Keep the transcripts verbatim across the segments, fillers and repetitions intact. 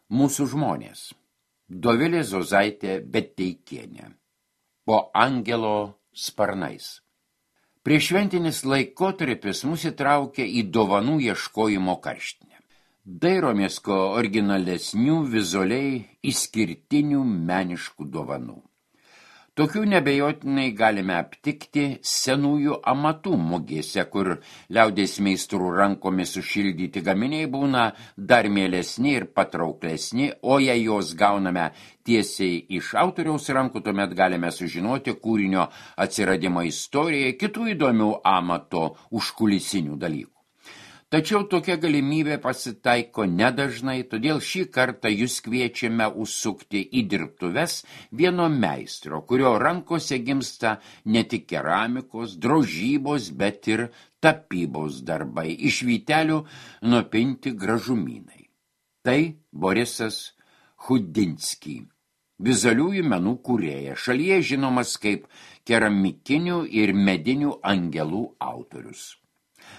Mūsų žmonės. Dovilė Zozaitė Beteikienė. Po angelo sparnais. Prieššventinis laikotarpis mus įtraukia į dovanų ieškojimo karštinę. Dairomės ko originalesnių, vizualiai išskirtinių meniškų dovanų. Tokių nebejotinai galime aptikti senųjų amatų mugėse, kur liaudies meistrų rankomis sušildyti gaminiai būna dar mielesni ir patrauklesni, o jei jos gauname tiesiai iš autoriaus rankų, tuomet galime sužinoti kūrinio atsiradimo istoriją, kitų įdomių amato užkulisinių dalykų. Tačiau tokia galimybė pasitaiko nedažnai, todėl šį kartą jūs kviečiame užsukti į dirbtuves vieno meistro, kurio rankose gimsta ne tik keramikos, drožybos, bet ir tapybos darbai, iš vytelių nupinti gražumynai. Tai Borisas Chudinski, vizualiųjų menų kūrėjas, šalyje žinomas kaip keramikinių ir medinių angelų autorius.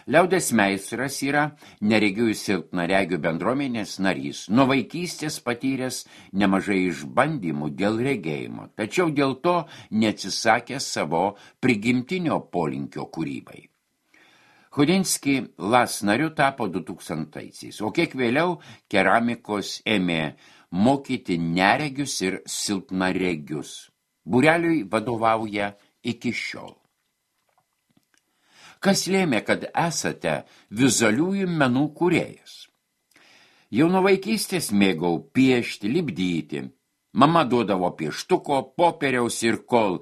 Liaudies meistras yra neregių ir silpnaregių bendruomenės narys, nuo vaikystės patyręs nemažai išbandymų dėl regėjimo, tačiau dėl to neatsisakė savo prigimtinio polinkio kūrybai. Chudinski Las nariu tapo du tūkstantaisiais, o kiek vėliau keramikos ėmė mokyti neregius ir silpnaregius. Būreliui vadovauja iki šiol. Kas lėmė, kad esate vizualiųjų menų kūrėjas? Jau nuo vaikystės mėgau piešti, lipdyti. Mama duodavo pieštuko, popieriaus ir kol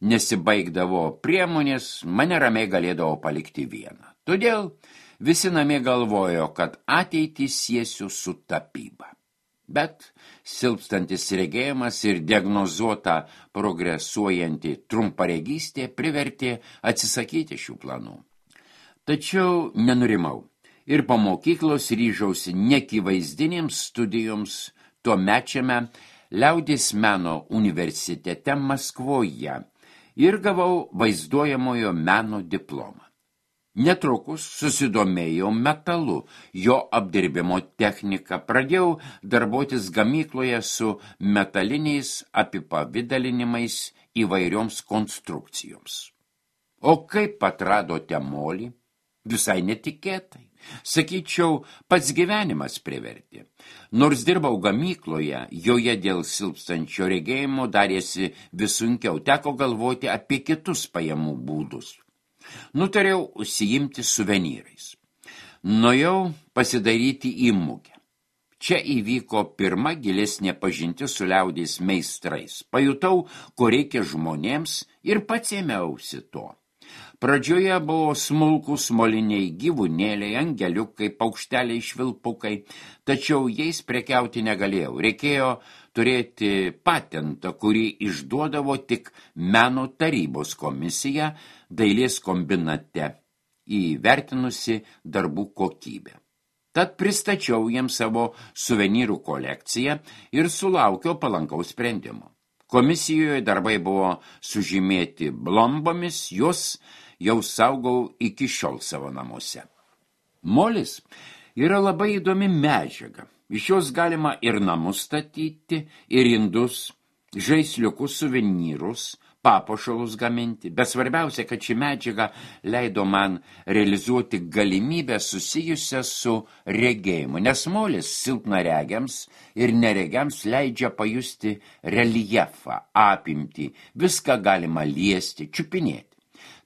nesibaigdavo priemonės, mane ramiai galėdavo palikti vieną. Todėl visi namie galvojo, kad ateitį siesiu su tapyba. Bet silpstantis regėjimas ir diagnozuota progresuojanti trumparegystė privertė atsisakyti šių planų. Tačiau nenurimau ir po mokyklos ryžausi nekivaizdinėms studijoms tuomečiame Liaudies meno universitete Maskvoje ir gavau vaizduojamojo meno diplomą. Netrukus susidomėjau metalu, jo apdirbimo technika, pradėjau darbuotis gamykloje su metaliniais apipavidalinimais įvairioms konstrukcijoms. O kaip atradote molį? Visai netikėtai. Sakyčiau, pats gyvenimas privertė. Nors dirbau gamykloje, joje dėl silpstančio regėjimo darėsi vis sunkiau, teko galvoti apie kitus pajamų būdus. Nutariau užsiimti suvenyrais. Nuėjau pasidaryti į mugę. Čia įvyko pirma gilesnė pažintis su liaudies meistrais. Pajutau, ko reikia žmonėms ir pats ėmiausi to. Pradžioje buvo smulkūs moliniai gyvūnėliai, angeliukai, paukšteliai, švilpukai, tačiau jais prekiauti negalėjau. Reikėjo turėti patentą, kurį išduodavo tik meno tarybos komisija dailės kombinate, įvertinusi darbų kokybę. Tad pristačiau jiems savo suvenyrų kolekciją ir sulaukiau palankaus sprendimo. Komisijoje darbai buvo sužymėti blombomis, jos jau saugau iki šiol savo namuose. Molis yra labai įdomi medžiaga. Iš jos galima ir namus statyti, ir indus, žaisliukus, suvenyrus, papuošalus gaminti, bet svarbiausia, kad ši medžiaga leido man realizuoti galimybę susijusią su regėjimu, nes molis silpnaregiams ir neregiams leidžia pajusti reljefą, apimtį, viską galima liesti, čiupinėti.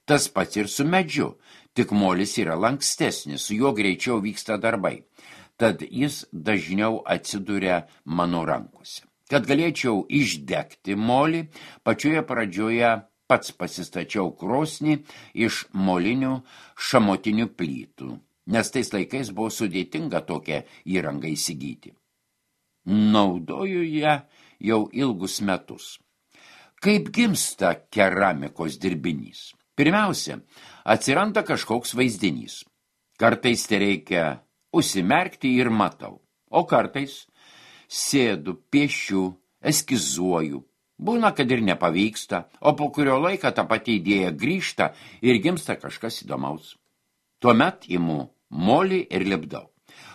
Tas pats ir su medžiu, tik molis yra lankstesnis, su juo greičiau vyksta darbai, tad jis dažniau atsiduria mano rankose. Kad galėčiau išdegti molį, pačioje pradžioje pats pasistačiau krosnį iš molinių šamotinių plytų, nes tais laikais buvo sudėtinga tokią įrangą įsigyti. Naudoju ją jau ilgus metus. Kaip gimsta keramikos dirbinys? Pirmiausia, atsiranda kažkoks vaizdinys. Kartais tai reikia užsimerkti ir matau, o kartais sėdu, piešiu, eskizuoju. Būna, kad ir nepavyksta, o po kurio laiko ta pati idėja grįžta ir gimsta kažkas įdomaus. Tuomet imu molį ir lipdau.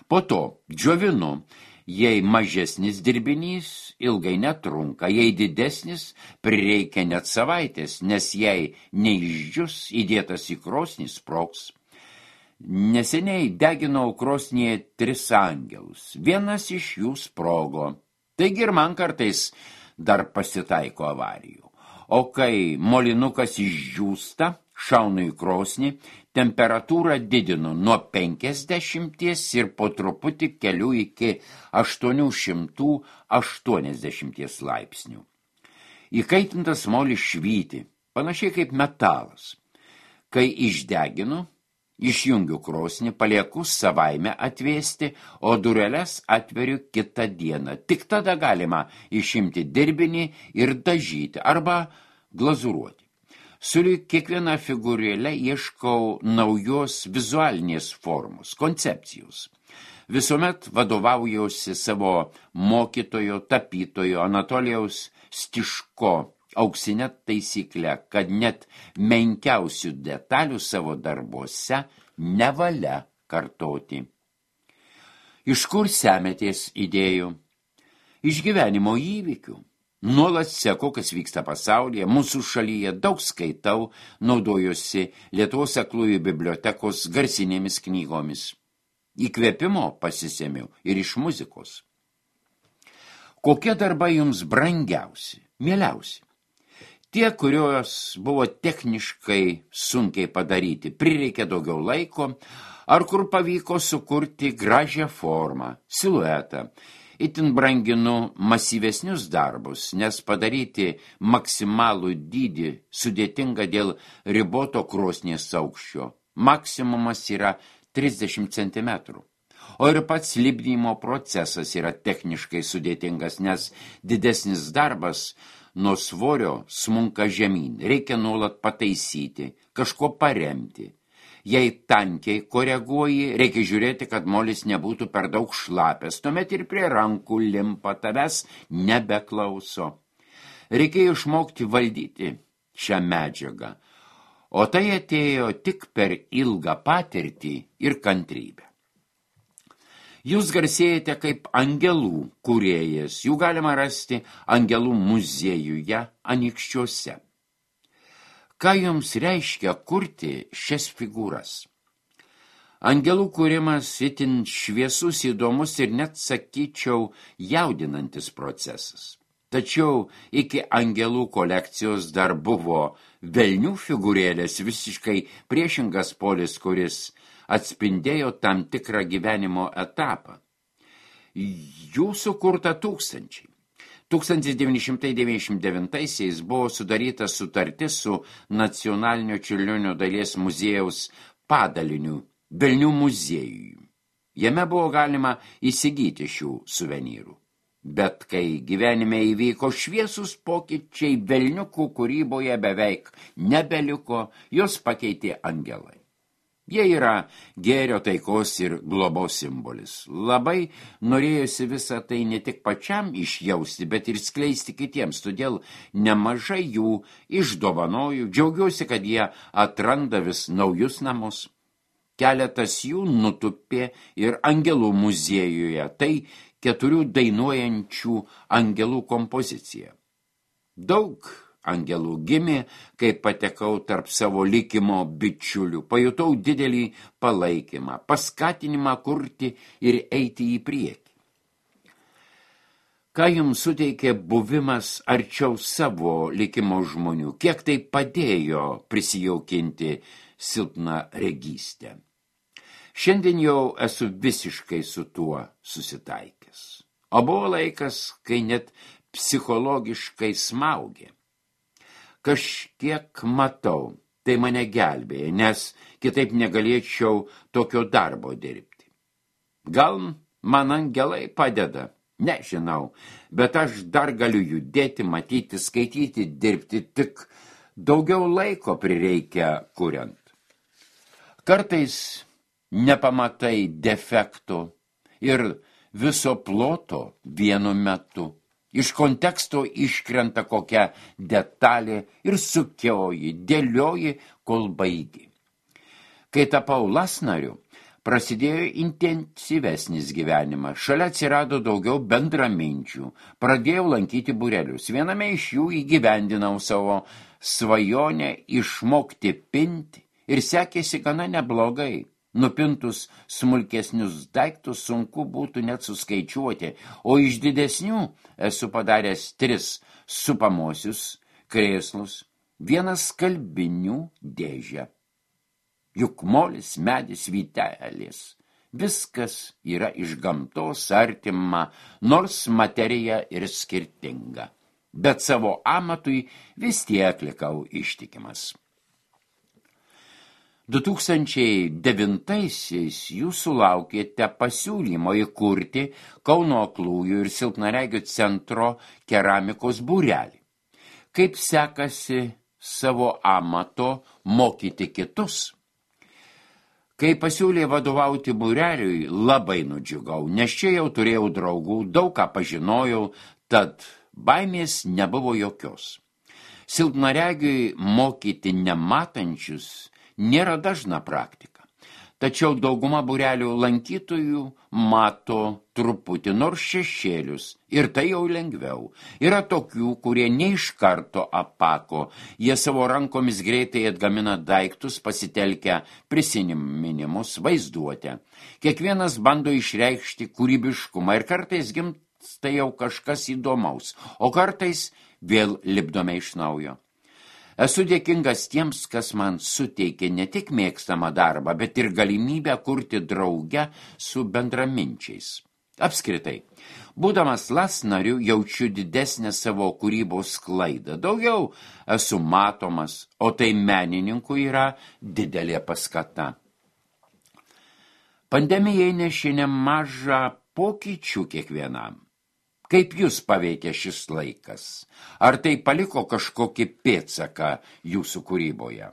Po to džiovinu Jei mažesnis dirbinys, ilgai netrunka, jei didesnis, prireikia net savaitės, nes jei neišdžius įdėtas į krosnį sprogs. Neseniai deginau krosnyje tris angelus, vienas iš jų sprogo. Taigi ir man kartais dar pasitaiko avarijų. O kai molinukas išdžiūsta, šaunu į krosnį, temperatūrą didinu nuo penkiasdešimties ir po truputį keliu iki aštuonių šimtų aštuoniasdešimties laipsnių. Įkaitintas molis švyti, panašiai kaip metalas. Kai išdeginu, išjungiu krosnį, palieku savaime atvėsti, o dureles atveriu kitą dieną. Tik tada galima išimti dirbinį ir dažyti arba glazuruoti. Sulig kiekvieną figūrėlę ieškau naujos vizualinės formos, koncepcijos. Visuomet vadovaujausi savo mokytojo, tapytojo Anatolijaus Stiško auksinę taisyklę, kad net menkiausių detalių savo darbuose nevalia kartoti. Iš kur semetės idėjų? Iš gyvenimo įvykių. Nuolat seku, kas vyksta pasaulyje, mūsų šalyje daug skaitau, naudojuosi Lietuvos aklųjų bibliotekos garsinėmis knygomis. Įkvėpimo pasisėmiau ir iš muzikos. Kokie darbai jums brangiausi, mieliausi? Tie, kurios buvo techniškai sunkiai padaryti, prireikė daugiau laiko, ar kur pavyko sukurti gražią formą, siluetą. Itin branginu masyvesnius darbus, nes padaryti maksimalų dydį sudėtinga dėl riboto krosnies aukščio. Maksimumas yra trisdešimt centimetrų. O ir pats lipdymo procesas yra techniškai sudėtingas, nes didesnis darbas nuo svorio smunka žemyn. Reikia nuolat pataisyti, kažko paremti. Jei tankiai koreguoji, reikia žiūrėti, kad molis nebūtų per daug šlapęs, tuomet ir prie rankų limpa, tavęs nebeklauso. Reikėjo išmokti valdyti šią medžiagą, o tai atėjo tik per ilgą patirtį ir kantrybę. Jūs garsėjate kaip angelų kūrėjas, jų galima rasti angelų muziejuje Anykščiuose. Ką jums reiškia kurti šias figūras? Angelų kūrimas itin šviesus, įdomus ir net sakyčiau jaudinantis procesas. Tačiau iki angelų kolekcijos dar buvo velnių figūrėlės, visiškai priešingas polis, kuris atspindėjo tam tikrą gyvenimo etapą. Jų sukurta tūkstančiai. tūkstantis devyni šimtai devyniasdešimt devintaisiais buvo sudaryta sutartis su Nacionalinio Čiurlionio dailės muziejaus padaliniu Velnių muziejui. Jame buvo galima įsigyti šių suvenyrų. Bet kai gyvenime įvyko šviesus pokyčiai, velniukų kūryboje beveik nebeliko, jos pakeitė angelai. Jie yra gėrio, taikos ir globos simbolis. Labai norėjosi visą tai ne tik pačiam išjausti, bet ir skleisti kitiems, todėl nemažai jų išdovanoju, džiaugiuosi, kad jie atranda vis naujus namus. Keletas jų nutupė ir angelų muziejuje, tai keturių dainuojančių angelų kompozicija. Daug angelų gimė, kai patekau tarp savo likimo bičiulių, pajutau didelį palaikymą, paskatinimą kurti ir eiti į priekį. Ką jums suteikė buvimas arčiau savo likimo žmonių, kiek tai padėjo prisijaukinti silpną regystę? Šiandien jau esu visiškai su tuo susitaikęs. O buvo laikas, kai net psichologiškai smaugė. Kažkiek matau, tai mane gelbėja, nes kitaip negalėčiau tokio darbo dirbti. Gal man angelai padeda, nežinau, bet aš dar galiu judėti, matyti, skaityti, dirbti, tik daugiau laiko prireikia kuriant. Kartais nepamatai defektų ir viso ploto vienu metu. Iš konteksto iškrenta kokia detalė ir sukioji, dėlioji, kol baigi. Kai tapau lasnariu, Prasidėjo intensyvesnis gyvenimas, šalia atsirado daugiau bendraminčių, pradėjau lankyti būrelius. Viename iš jų įgyvendinau savo svajonę išmokti pinti ir sekėsi gana neblogai. Nupintus smulkesnius daiktus sunku būtų net suskaičiuoti, o iš didesnių esu padaręs tris supamosius krėslus, vienas skalbinių dėžę. Juk molis, medis, vytelis. Viskas yra iš gamtos artima, nors materija ir skirtinga. Bet savo amatui vis tiek likau ištikimas. du tūkstančiai devintaisiais jūs sulaukėte pasiūlymo įkurti Kauno aklųjų ir silpnaregių centro keramikos būrelį. Kaip sekasi savo amato mokyti kitus? Kai pasiūlė vadovauti būreliui, labai nudžiugau, nes čia jau turėjau draugų, daug ką pažinojau, tad baimės nebuvo jokios. Silpnaregiui mokyti nematančius nėra dažna praktika. Tačiau dauguma būrelių lankytojų mato truputį nors šešėlius ir tai jau lengviau. Yra tokių, kurie ne iš karto apako, jie savo rankomis greitai atgamina daiktus, pasitelkę prisiminimus, vaizduotę. Kiekvienas bando išreikšti kūrybiškumą ir kartais gimsta jau kažkas įdomaus, o kartais vėl lipdome iš naujo. Esu dėkingas tiems, kas man suteikė ne tik mėgstamą darbą, bet ir galimybę kurti drauge su bendraminčiais. Apskritai, būdamas las nariu, jaučiu didesnę savo kūrybos sklaidą. Daugiau esu matomas, o tai menininkų yra didelė paskata. Pandemija įnešė nemažą pokyčių kiekvienam. Kaip jūs paveikė šis laikas? Ar tai paliko kažkokį pėdsaką jūsų kūryboje?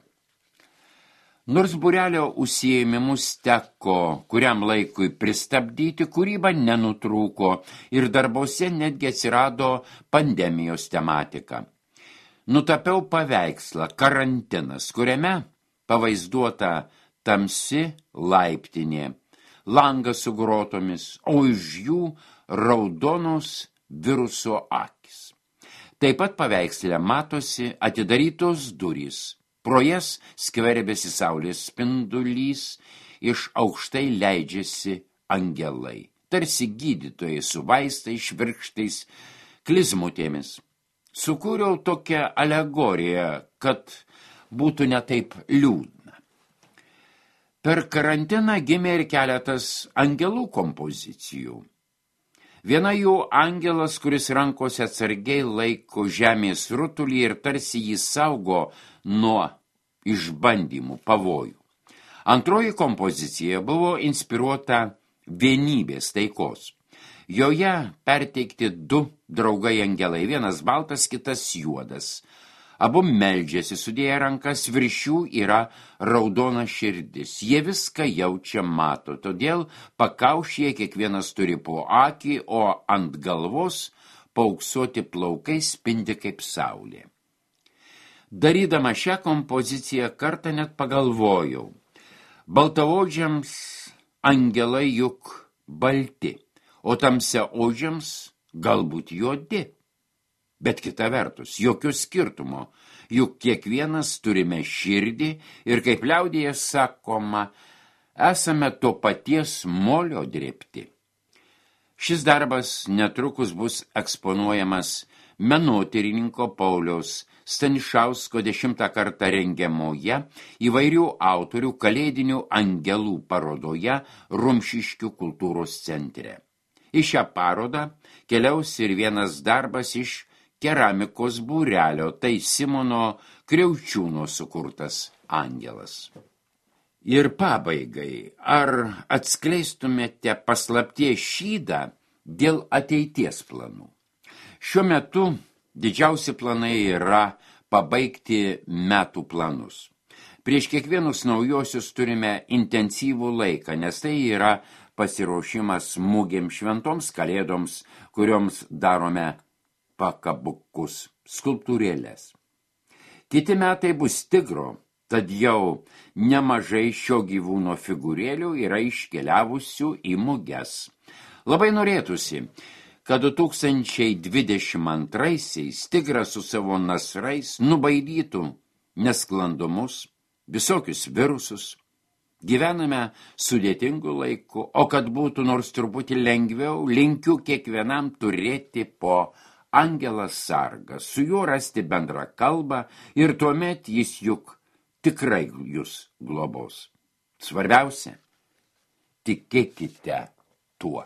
Nors būrelio užsiėmimus teko kuriam laikui pristabdyti, kūryba nenutrūko ir darbose netgi atsirado pandemijos tematika. Nutapiau paveikslą Karantinas, kuriame pavaizduota tamsi laiptinė, langas su grotomis, o iš jų raudonos viruso akis. Taip pat paveiksle matosi atidarytos durys. Pro jas skverbėsi saulės spindulys, iš aukštai leidžiasi angelai. Tarsi gydytojai su vaistais, švirkštais, klizmutėmis. Sukūriau tokią alegoriją, kad būtų netaip liūdna. Per karantiną gimė ir keletas angelų kompozicijų. Viena jų angelas, kuris rankose atsargiai laiko žemės rutulį ir tarsi jį saugo nuo išbandymų, pavojų. Antroji kompozicija buvo inspiruota vienybės taikos. Joje perteikti du draugai angelai, vienas baltas, kitas juodas. Abu meldžiasi, sudėję rankas, virš jų yra raudona širdis. Jie viską jaučia, mato, todėl pakaušyje kiekvienas turi po akį, o ant galvos paauksuoti plaukai spindi kaip saulė. Darydama šią kompoziciją kartą net pagalvojau. Baltaodžiams angelai juk balti, o tamsiaodžiams galbūt juodi. Bet kita vertus, jokio skirtumo, juk kiekvienas turime širdį ir kaip liaudėje sakoma, esame to paties molio drėbti. Šis darbas netrukus bus eksponuojamas menotyrininko Pauliaus Stanišausko dešimtą kartą rengiamoje įvairių autorių kalėdinių angelų parodoje Rumšiškių kultūros centre. Į šią parodą keliaus ir vienas darbas iš keramikos būrelio, tai Simono Kriaučiūno sukurtas angelas. Ir pabaigai, ar atskleistumėte paslapties šydą dėl ateities planų? Šiuo metu didžiausi planai yra pabaigti metų planus. Prieš kiekvienus naujosius turime intensyvų laiką, nes tai yra pasiruošimas mugėms, šventoms kalėdoms, kurioms darome pakabukus, skulptūrėlės. Kiti metai bus tigro Tad jau nemažai šio gyvūno figūrėlių yra iškeliavusių į muges. Labai norėtųsi, kad du tūkstančiai dvidešimt antraisiais tigras su savo nasrais nubaidytų nesklandumus, visokius virusus. Gyvename sudėtingu laiku, o kad būtų nors truputį lengviau, linkiu kiekvienam turėti po angelą sargą, su juo rasti bendrą kalbą ir tuomet jis juk tikrai jūs globos. Svarbiausia, tikėkite tuo.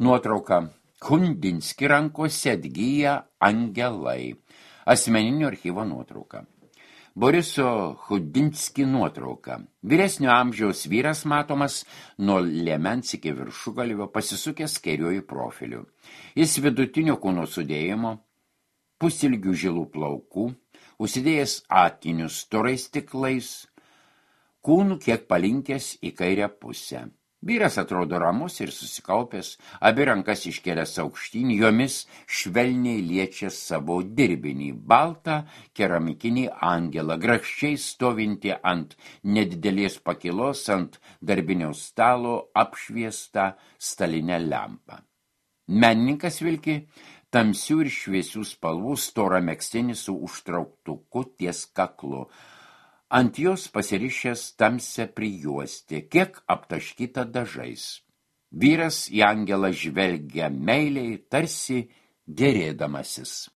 Nuotrauka. Kundinski rankose atgyja angelai. Asmeninio archyvo nuotrauka. Boriso Chudinski nuotrauka. Vyresnio amžiaus vyras matomas nuo liemens iki viršugalvio pasisukęs kairiuoju profiliu. Jis vidutinio kūno sudėjimo, pusilgių žilų plaukų, užsidėjęs akinius storais stiklais, kūnų kiek palinkęs į kairę pusę. Vyras atrodo ramus ir susikaupęs, abi rankas iškėlęs aukštyn, jomis švelniai liečia savo dirbinį, baltą keramikinį angelą, grakščiai stovinti ant nedidelės pakilos ant darbinio stalo apšviestą stalinę lempą. Menininkas vilki tamsių ir šviesių spalvų storą megztinį su užtrauktuku ties kaklu. Ant jos pasirišęs tamsią prijuostę, kiek aptaškyta dažais. Vyras į angelą žvelgia meiliai, tarsi gerėdamasis.